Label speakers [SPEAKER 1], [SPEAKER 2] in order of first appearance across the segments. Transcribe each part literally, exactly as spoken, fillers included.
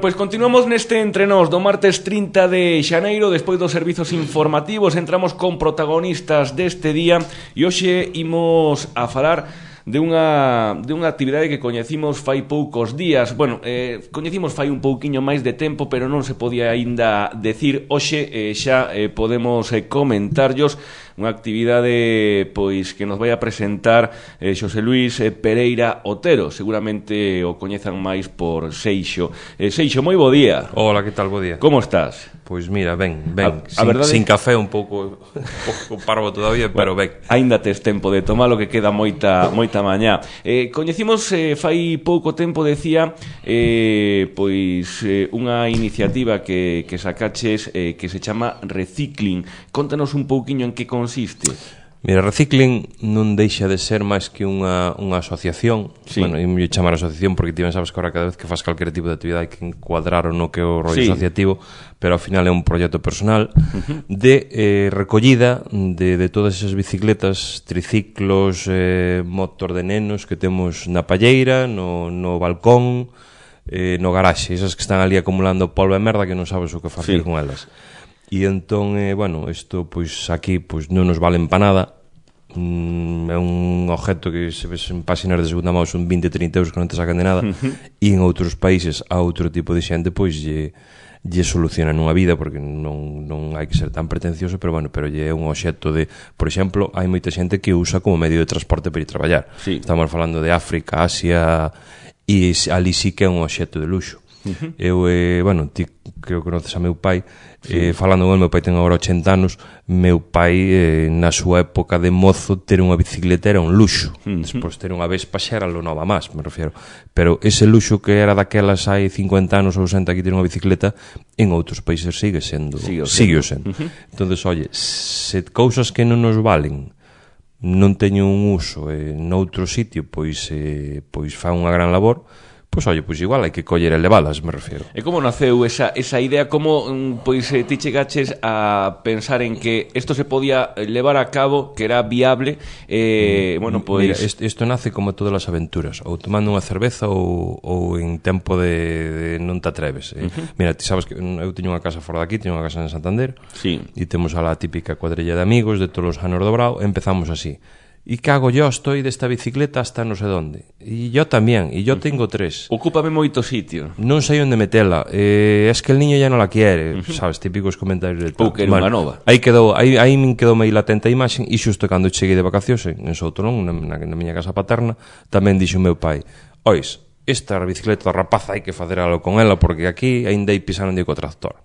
[SPEAKER 1] Pois continuamos neste Entre Nós do martes trinta de xaneiro. Despois dos servizos informativos entramos con protagonistas deste día e hoxe imos a falar de unha, de unha actividade que coñecimos fai poucos días. Bueno, eh, coñecimos fai un pouquiño máis de tempo, pero non se podía aínda decir. Hoxe eh, xa eh, podemos eh, comentarllos unha actividade pois que nos vai a presentar eh, Xosé Luís eh, Pereira Otero. Seguramente o coñezan máis por Seixo. eh, Seixo, moi bo día.
[SPEAKER 2] Hola, que tal, bo día?
[SPEAKER 1] Como estás?
[SPEAKER 2] Pois mira, ben, ben,
[SPEAKER 1] a,
[SPEAKER 2] sin,
[SPEAKER 1] a verdade...
[SPEAKER 2] sin café un pouco, un pouco parvo todavía, pero ben.
[SPEAKER 1] Aínda tes tempo de tomalo, que queda moita moita mañá. Eh, coñecimos eh, fai pouco tempo, decía, eh, pois eh, unha iniciativa que, que sacaches eh, que se chama Recicling. Contanos un pouquiño en que consiste.
[SPEAKER 2] Mira, Recicling non deixa de ser máis que unha, unha asociación. Sí. Bueno, eu me chamar asociación porque ti ben sabes que ahora cada vez que faz calquer tipo de actividade hai que encuadrar o no que é o rollo sí. asociativo, pero ao final é un proxecto personal uh-huh. de eh, recollida de, de todas esas bicicletas, triciclos, eh, motor de nenos que temos na palleira, no, no balcón, eh, no garaxe, esas que están ali acumulando polvo e merda que non sabes o que facer sí. con elas. E entón, eh, bueno, isto, pois, aquí, pois, non nos valen pa nada. Mm, é un objeto que se ves en páxinas de segunda mão son vinte, trinta euros que non te sacan de nada. Uh-huh. E en outros países, a outro tipo de xente, pois, lle, lle solucionan unha vida, porque non, non hai que ser tan pretencioso, pero, bueno, pero lle é un obxecto de... Por exemplo, hai moita xente que usa como medio de transporte para ir traballar. Sí. Estamos falando de África, Asia, e ali sí que é un obxecto de luxo. Uh-huh. Eu, eh, bueno, ti creo que conoces a meu pai, sí. eh, falando con el, meu pai ten agora ochenta anos. Meu pai, eh, na súa época de mozo, ter unha bicicleta era un luxo. Uh-huh. Despois ter unha Vespa xa era lo nova máis, me refiero. Pero ese luxo que era daquelas hai cincuenta anos ou sesenta que ter unha bicicleta, en outros países sigue sendo. Sigue sendo. sendo. Uh-huh. Entonces, oye, se cousas que non nos valen non teño un uso eh, noutro sitio, pois, eh, pois fa unha gran labor. Pois, oye, pois igual hai que coller e levalas, me refiero.
[SPEAKER 1] E como naceu esa, esa idea? Como, pois, eh, ti chegaches a pensar en que isto se podía levar a cabo, que era viable? Eh, mm, bueno, pois...
[SPEAKER 2] Mira, isto nace como todas as aventuras, ou tomando unha cerveza ou, ou en tempo de, de non te atreves. Eh. Uh-huh. Mira, ti sabes que eu teño unha casa fora daqui, teño unha casa en Santander, sí. E temos a la típica cuadrilla de amigos de todos os anos do Brao, empezamos así. Y cago yo, estoy de esta bicicleta hasta no sé dónde. Y yo también, y yo tengo tres.
[SPEAKER 1] Ocúpame moito sitio.
[SPEAKER 2] Non sei onde metela. Eh, es que el niño ya no la quiere, uh-huh. sabes, típicos comentarios de tal.
[SPEAKER 1] Ou que era unha nova.
[SPEAKER 2] Aí quedou, aí, aí me quedou meio latente a imaxe, e xusto cando cheguei de vacacións en Soutorón, na, na, na miña casa paterna, tamén dixo o meu pai: "Ois, esta bicicleta da rapaza hai que facer algo con ela, porque aquí aínda hai pisando co tractor."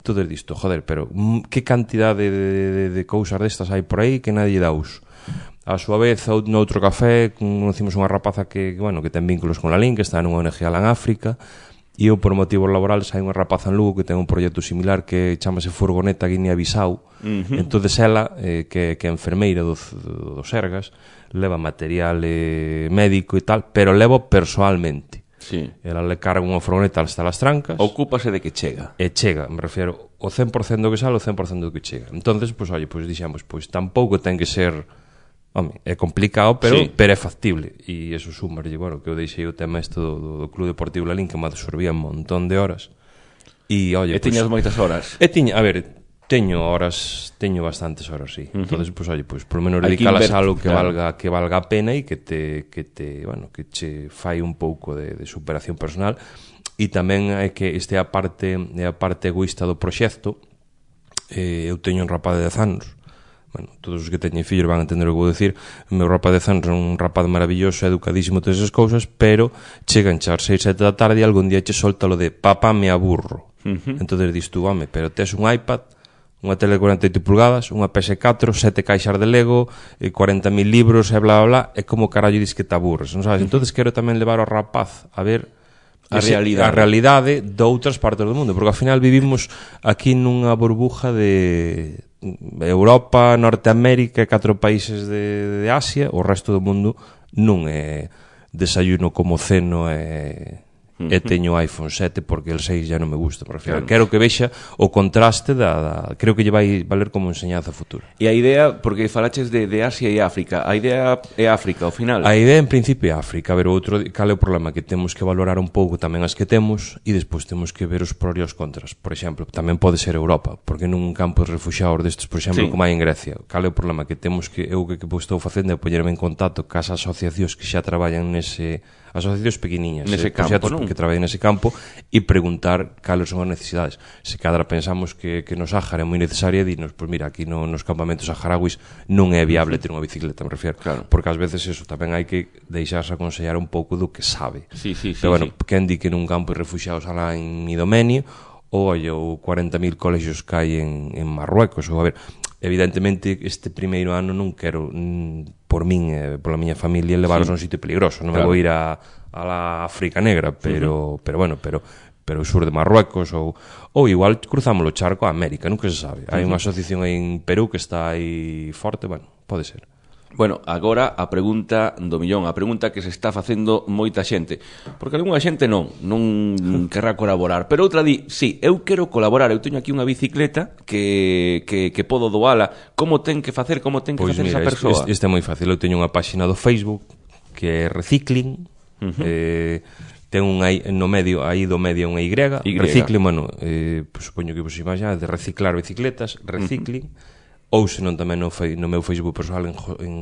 [SPEAKER 2] Todo disto, joder, pero que cantidade de, de, de, de cousas destas hai por aí que nadie dá uso. A súa vez, no outro café, conocimos unha rapaza que, bueno, que ten vínculos con la L I N, que está nunha O N G alá en África, e eu, por motivos laborales, hai unha rapaza en Lugo que ten un proxecto similar que chamase Furgoneta Guinea-Bissau. Uh-huh. Entonces ela, eh, que, que é enfermeira do, do, do Sergas, leva material eh, médico e tal, pero levo personalmente. Sí. Ela le carga unha furgoneta hasta las trancas.
[SPEAKER 1] Ocúpase de que chega.
[SPEAKER 2] E chega, me refiero, o cen por cento do que sale, o cen por cento do que chega. Entonces, pois, pues, oye, pois pues, dixemos, pois pues, tampouco ten que ser... Home, é complicado, pero, sí. pero é factible. E eso sumarlle, bueno, que eu deixei o tema este do, do, do Club Deportivo Lalín, que me absorbía un montón de horas. E, oye,
[SPEAKER 1] e pues, tiñas moitas horas?
[SPEAKER 2] E tiña, a ver, teño horas, teño bastantes horas, sí. Uh-huh. Entonces, pues, oye, pues, por lo menos dedicalas a algo que claro. valga que valga a pena e que te, que te, bueno, que che fai un pouco de, de superación personal. E tamén é que este é a parte, é a parte egoísta do proxecto. Eh, eu teño un rapaz de dez anos. Bueno, todos os que teñen fillos van a entender o que vou dicir. O meu rapaz de anos é un rapaz maravilloso, educadísimo, todas esas cousas, pero chegan xa as seis, sete da tarde e algún día che solta lo de papá me aburro. Uh-huh. Entonces dis tú, home, pero tes un iPad, unha tele de cuarenta e oito pulgadas, unha P S catro, sete caixas de Lego, cuarenta mil libros e bla, bla, bla, é como carallo dis que te aburres, non sabes? Uh-huh. Entonces quero tamén levar ao rapaz a ver a ese, realidade. a realidade de outras partes do mundo, porque ao final vivimos aquí nunha burbuja de Europa, Norteamérica e catro países de, de Asia. O resto do mundo non é desayuno como ceno e, e teño iPhone sete porque el seis ya non me gusta, me refiero. Quero que vexa o contraste da, da creo que lle vai valer como enseñanza futura.
[SPEAKER 1] E a idea, porque falaches de, de Asia e África, a idea é África ao final?
[SPEAKER 2] A idea en principio é África, a ver, o outro, cal é o problema? Que temos que valorar un pouco tamén as que temos e despois temos que ver os prós e os contras. Por exemplo, tamén pode ser Europa, porque nun campo de refuxiados destes, por exemplo, sí, como hai en Grecia, cal é o problema? Que temos que, eu que, que estou facendo é poñerme en contacto cas asociacións que xa traballan nese, asociacións pequeniñas,
[SPEAKER 1] nese
[SPEAKER 2] eh,
[SPEAKER 1] campo, non?
[SPEAKER 2] Que traballan nese campo e preguntar cales son as necesidades. Se cadra pensamos que, que no Sáhara é moi necesaria, dinos, pois mira, aquí no, nos campamentos saharauis non é viable ter unha bicicleta, me refiero,
[SPEAKER 1] claro.
[SPEAKER 2] Porque ás veces eso tamén hai que deixarse aconsellar un pouco do que sabe.
[SPEAKER 1] Sí, sí, sí,
[SPEAKER 2] pero bueno,
[SPEAKER 1] sí.
[SPEAKER 2] Quen di que nun campo de refuxiados alá en Idomeni ou olha, ou cuarenta mil colexios que hai en, en Marruecos, ou a ver, evidentemente este primeiro ano non quero mm, por min e eh, pola miña familia levaros sí. a un sitio peligroso, non claro. Me vou ir a, a la África Negra, pero, uh-huh. pero bueno, pero pero o sur de Marruecos ou, ou igual cruzamos o charco a América, nunca se sabe. Hai unha asociación en Perú que está aí forte, bueno, pode ser.
[SPEAKER 1] Bueno, agora a pregunta do millón, a pregunta que se está facendo moita xente, porque algunha xente non, non querrá colaborar, pero outra di, sí, eu quero colaborar, eu teño aquí unha bicicleta que, que, que podo doala, como ten que facer, como ten que
[SPEAKER 2] pois
[SPEAKER 1] facer
[SPEAKER 2] mira,
[SPEAKER 1] esa persoa?
[SPEAKER 2] Este, este é moi fácil, eu teño unha páxina do Facebook que é Recicling, uh-huh. eh, ten un aí no medio, aí do medio unha Y, y. Recicling, bueno, eh, pues, supoño que vos imagináis de reciclar bicicletas, Recicling, uh-huh. ou senón tamén no, no meu Facebook personal en, en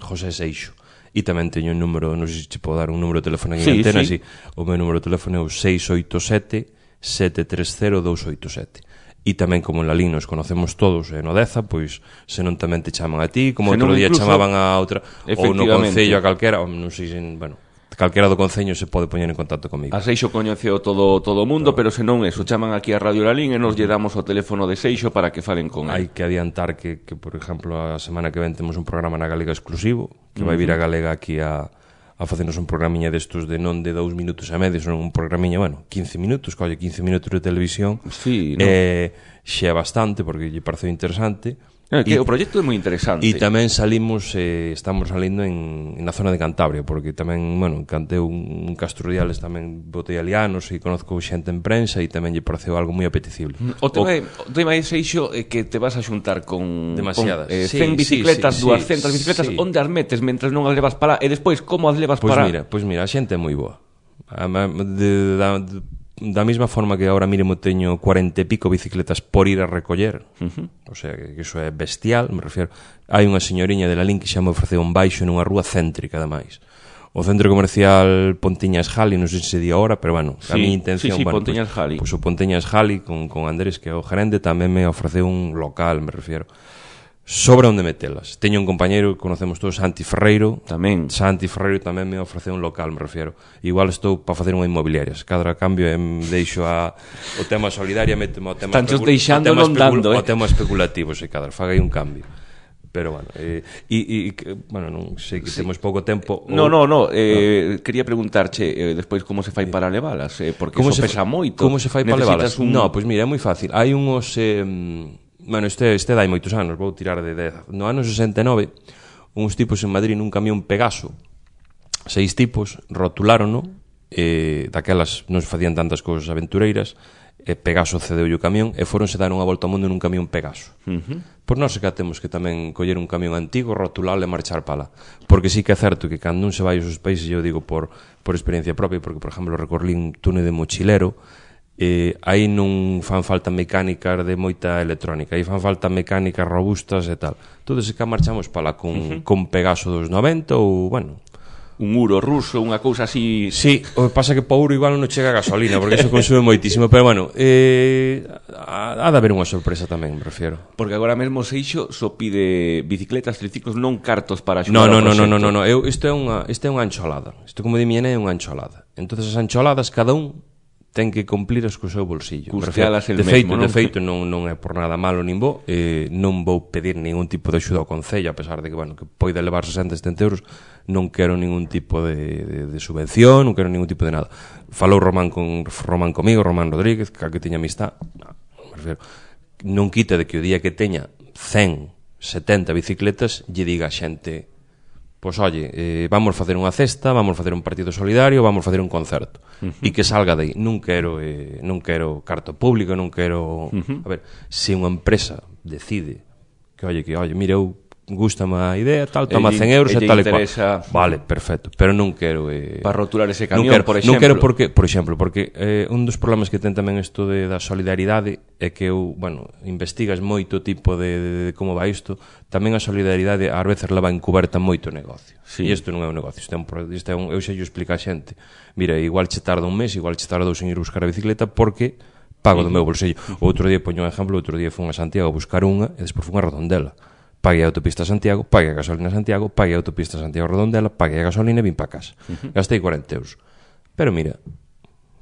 [SPEAKER 2] José Seixo. E tamén teño un número, non sei se te podo dar un número de teléfono en sí, antena, sí. Sí. O meu número de teléfono é o seis oito sete, sete tres cero, dous oito sete. E tamén como en Lalín nos conocemos todos e no Deza, pois senón tamén te chaman a ti, como outro día chamaban a outra, ou no Concello a calquera, ou non sei se, bueno, calquera do Concello se pode poñer en contacto comigo.
[SPEAKER 1] A Seixo coñeceo todo todo o mundo, claro. Pero senón eso, chaman aquí a Radio Lalín e nos lle damos o teléfono de Seixo para que falen con
[SPEAKER 2] el. Hai que adiantar que, que, por exemplo, a semana que ven temos un programa na Galega exclusivo, que uh-huh. vai vir a Galega aquí a, a facernos un programiña destos de non de dous minutos e medio, son un programiña, bueno, quince minutos, colle quince minutos de televisión.
[SPEAKER 1] Sí, no?
[SPEAKER 2] Eh, xe é bastante, porque lle pareceu interesante.
[SPEAKER 1] É que e, o proxecto é moi interesante.
[SPEAKER 2] E tamén salimos, eh, estamos salindo en, na zona de Cantabria, porque tamén, bueno, cantei un, un Castrodiales, tamén botei alianos e conozco xente en prensa e tamén lle pareceu algo moi apetecible.
[SPEAKER 1] O tema, o, o tema é, Seixo, é que te vas a xuntar con,
[SPEAKER 2] demasiadas.
[SPEAKER 1] Con, eh, cen sí, bicicletas, sí, sí, duascentas sí, bicicletas, sí. Onde as metes mentre non as levas para e despois como as levas
[SPEAKER 2] pues
[SPEAKER 1] para...
[SPEAKER 2] Mira, pois pues mira, a xente é moi boa. De, de, de, da mesma forma que agora mínimo teño cuarenta e pico bicicletas por ir a recoller, uh-huh. O sea, que iso é bestial, me refiero. Hai unha señoriña de Lalín que xa me ofreceu un baixo nunha rúa céntrica, ademais. O centro comercial Pontiñas Jali, non sei se se di ahora, pero bueno,
[SPEAKER 1] sí,
[SPEAKER 2] a miña intención,
[SPEAKER 1] sí, sí,
[SPEAKER 2] bueno,
[SPEAKER 1] Pontiñas
[SPEAKER 2] pues,
[SPEAKER 1] Jali.
[SPEAKER 2] Pues o Pontiñas Jali con, con Andrés, que é o gerente, tamén me ofreceu un local, me refiero. Sobre onde metelas. Teño un compañeiro que conocemos todos, Santi Ferreiro.
[SPEAKER 1] Tamén.
[SPEAKER 2] Santi Ferreiro tamén me ofreceu un local, me refiero. Igual estou para facer unha inmobiliaria. Cada cambio em deixo a o tema solidaria, metemo o tema
[SPEAKER 1] Tantos deixando non dando, eh.
[SPEAKER 2] O tema especulativo, se cadra, faga aí un cambio. Pero bueno, eh, e, e, bueno, non sei que sí. Temos pouco tempo.
[SPEAKER 1] No, no, no, eh, no. Quería preguntarche eh, despois como se fai para levalas, eh, porque
[SPEAKER 2] como
[SPEAKER 1] eso
[SPEAKER 2] se
[SPEAKER 1] pesa moito.
[SPEAKER 2] Como se fai para levalas?
[SPEAKER 1] Un...
[SPEAKER 2] No, pois pues mira, é moi fácil. Hai unhos... Eh, Bueno, este, este dai moitos anos, vou tirar de dez. No ano sesenta e nove, uns tipos en Madrid nun camión Pegaso, seis tipos, rotulárono, e daquelas non se facían tantas cousas aventureiras, e Pegaso cedeu o camión, e foronse dar unha volta ao mundo nun camión Pegaso. Uh-huh. Por nós que temos que tamén coller un camión antigo, rotulalo e marchar pala. Porque sí que é certo que cando un se vai aos países, eu digo por, por experiencia propia, porque, por exemplo, recorrín túnel de mochilero, eh, aí non fan falta mecánicas de moita electrónica, aí fan falta mecánicas robustas e tal. Todo se que marchamos pala con, uh-huh. con Pegaso dos noventa ou, bueno,
[SPEAKER 1] un Uro ruso, unha cousa así.
[SPEAKER 2] Sí, o que pasa que para Uro igual non chega a gasolina, porque eso consume moitísimo, pero bueno, eh, ha de haber unha sorpresa tamén, me refiero.
[SPEAKER 1] Porque agora mesmo Seixo só pide bicicletas, triciclos, non cartos para axudar
[SPEAKER 2] no, no,
[SPEAKER 1] ao
[SPEAKER 2] proxecto. No, no, no, no,
[SPEAKER 1] no,
[SPEAKER 2] eu, isto é unha, isto é unha ancholada. Isto como di miña é unha ancholada. Entonces as ancholadas cada un ten que cumplir as co seu bolsillo.
[SPEAKER 1] Custealas el
[SPEAKER 2] de feito,
[SPEAKER 1] mesmo, non?
[SPEAKER 2] De feito, non, non é por nada malo nin bo, eh, non vou pedir ningún tipo de axuda ao Concello, a pesar de que, bueno, que poida levar sesenta, setenta euros, non quero ningún tipo de, de, de subvención, non quero ningún tipo de nada. Falou Román con Román comigo, Román Rodríguez, que, que teña amistad, no, me refiero, non quita de que o día que teña cen, setenta bicicletas, lle diga a xente, pois, oye, eh, vamos facer unha cesta, vamos facer un partido solidario, vamos facer un concerto. Uh -huh. E que salga de aí. Non quero, eh, non quero carto público, non quero... Uh -huh. A ver, se unha empresa decide que, oye, que, oye, mira, eu gústame a idea, tal, toma cen euros e tal e cual. Vale, perfecto, pero non quero... Eh,
[SPEAKER 1] para rotular ese camión, quero, por exemplo.
[SPEAKER 2] Non quero porque, por exemplo, porque eh, un dos problemas que ten tamén isto de, da solidaridade é que eu, bueno, investigas moito tipo de, de, de como va isto, tamén a solidaridade ás veces leva encuberta moito negocio. Sí. E isto non é un negocio, isto é un, isto é un, eu xa yo explico a xente. Mira, igual che tarda un mes, igual che tarda dous en ir buscar a bicicleta porque pago do meu bolsillo. O outro día, poño un exemplo, o outro día fui a Santiago a buscar unha e despois fui a Redondela. Paguei a autopista a Santiago, paguei a gasolina a Santiago, paguei a autopista a Santiago Redondela, paguei a gasolina e vim para casa. Uh -huh. Gastei cuarenta euros. Pero mira,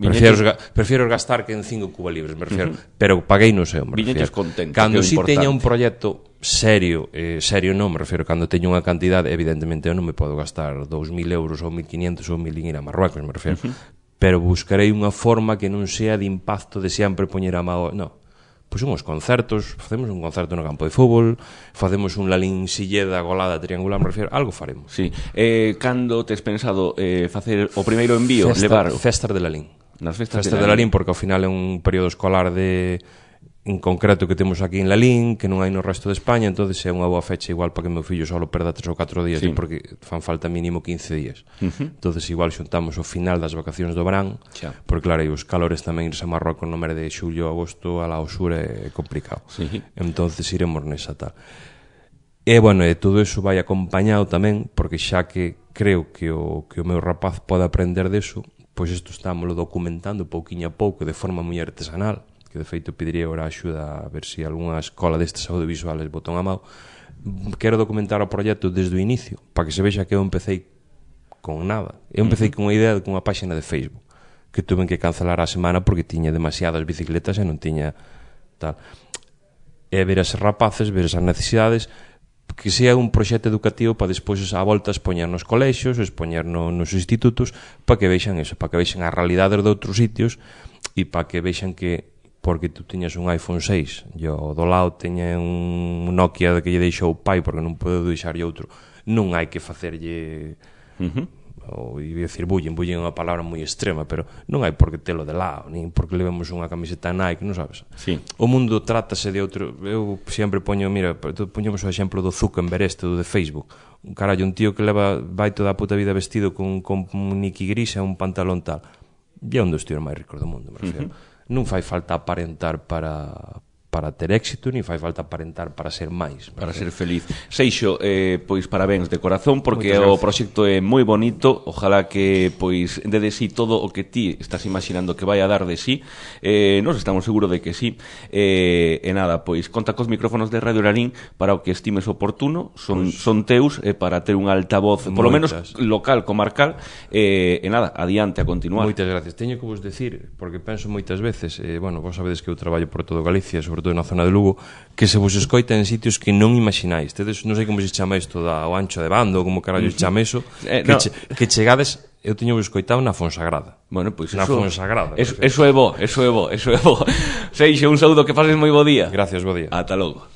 [SPEAKER 2] prefiero, prefiero gastar que en cinco cuba libres, me refiero. Uh -huh. Pero paguei no sei, me refiero.
[SPEAKER 1] Contento,
[SPEAKER 2] cando si importante. Teña un proxecto serio, eh, serio non, me refiero, cando teño unha cantidade, evidentemente eu non me podo gastar dous mil euros ou mil quinientos ou mil en ir a Marruecos, me refiero. Uh -huh. Pero buscarei unha forma que non sea de impacto de sempre poñer a mao... No. Pois unhos concertos, facemos un concerto no campo de fútbol, facemos un Lalín Silleda golada triangular, me refiero, algo faremos.
[SPEAKER 1] Sí. Eh, cando tes pensado eh, facer o primeiro envío,
[SPEAKER 2] Festa,
[SPEAKER 1] levar...
[SPEAKER 2] Festas de Lalín.
[SPEAKER 1] Nas festas,
[SPEAKER 2] festas
[SPEAKER 1] de,
[SPEAKER 2] de Lalín, porque ao final é un período escolar de... en concreto que temos aquí en Lalín, que non hai no resto de España, entonces é unha boa fecha igual para que meu fillo solo perda tres ou catro días, sí. Porque fan falta mínimo quince días. Uh -huh. Entonces igual xuntamos o final das vacacións do verán, xa. Porque claro, e os calores tamén irse a Marrocos no mes de xullo, agosto, a la sur é complicado. Sí. Entonces iremos nesa tal. E, bueno, e todo eso vai acompañado tamén, porque xa que creo que o, que o meu rapaz pode aprender deso, pois isto estámoslo documentando pouquiño a pouco, de forma moi artesanal, que de feito pediría ahora axuda a ver se si algunha escola destes audiovisuales botan a mão. Quero documentar o proxecto desde o inicio, para que se vexa que eu empecé con nada. Eu empecé uh -huh. con unha idea de unha páxina de Facebook, que tuve que cancelar a semana porque tiña demasiadas bicicletas e non tiña tal. E ver as rapaces, ver esas necesidades, que sea un proxecto educativo para despois a volta expoñer nos colexios, expoñer no, nos institutos, para que vexan eso, para que vexan as realidades de outros sitios e para que vexan que porque tú tiñas un iPhone seis e o do lado teña un Nokia que lle deixou o pai porque non pode deixarlle outro, non hai que facerlle uh -huh. ou ia dicir bullying, bullying é unha palabra moi extrema, pero non hai por que telo de lado, nin porque levemos unha camiseta Nike, non sabes? Sí. O mundo trátase de outro, eu sempre poño, mira, poñemos o exemplo do Zuckerberg este, do de Facebook, un carallo, un tío que leva vai toda a puta vida vestido con, con un Nike gris e un pantalón tal, e é un dos tíos máis ricos do mundo, me refiero. Uh -huh. Non fai falta aparentar para, para ter éxito, ni fai falta aparentar para ser máis.
[SPEAKER 1] Para ser feliz. Seixo, eh, pois parabéns de corazón, porque o proxecto é moi bonito, ojalá que pois de de sí todo o que ti estás imaginando que vai a dar de sí, eh, nos estamos seguros de que sí, eh, e nada, pois conta cos micrófonos de Radio Lalín para o que estimes oportuno, son, pues, son teus, eh, para ter un altavoz, por lo menos local, comarcal, eh, e nada, adiante a continuar.
[SPEAKER 2] Moitas gracias. Teño que vos decir, porque penso moitas veces, eh, bueno, vos sabedes que eu traballo por todo Galicia, sobre todo na zona de Lugo, que se vos escoita en sitios que non imagináis. Tedes, non sei como se chama isto da, o ancho de bando, como carallo se chama eso, eh, que, no. che, que chegades, eu teño vos escoitado na Fonsagrada.
[SPEAKER 1] Bueno, pois
[SPEAKER 2] na
[SPEAKER 1] eso,
[SPEAKER 2] Fonsagrada.
[SPEAKER 1] Eso, eso é bo, eso é bo, eso é bo. Seixo, un saúdo, que pases moi bo día.
[SPEAKER 2] Gracias, bo día.
[SPEAKER 1] Ata logo.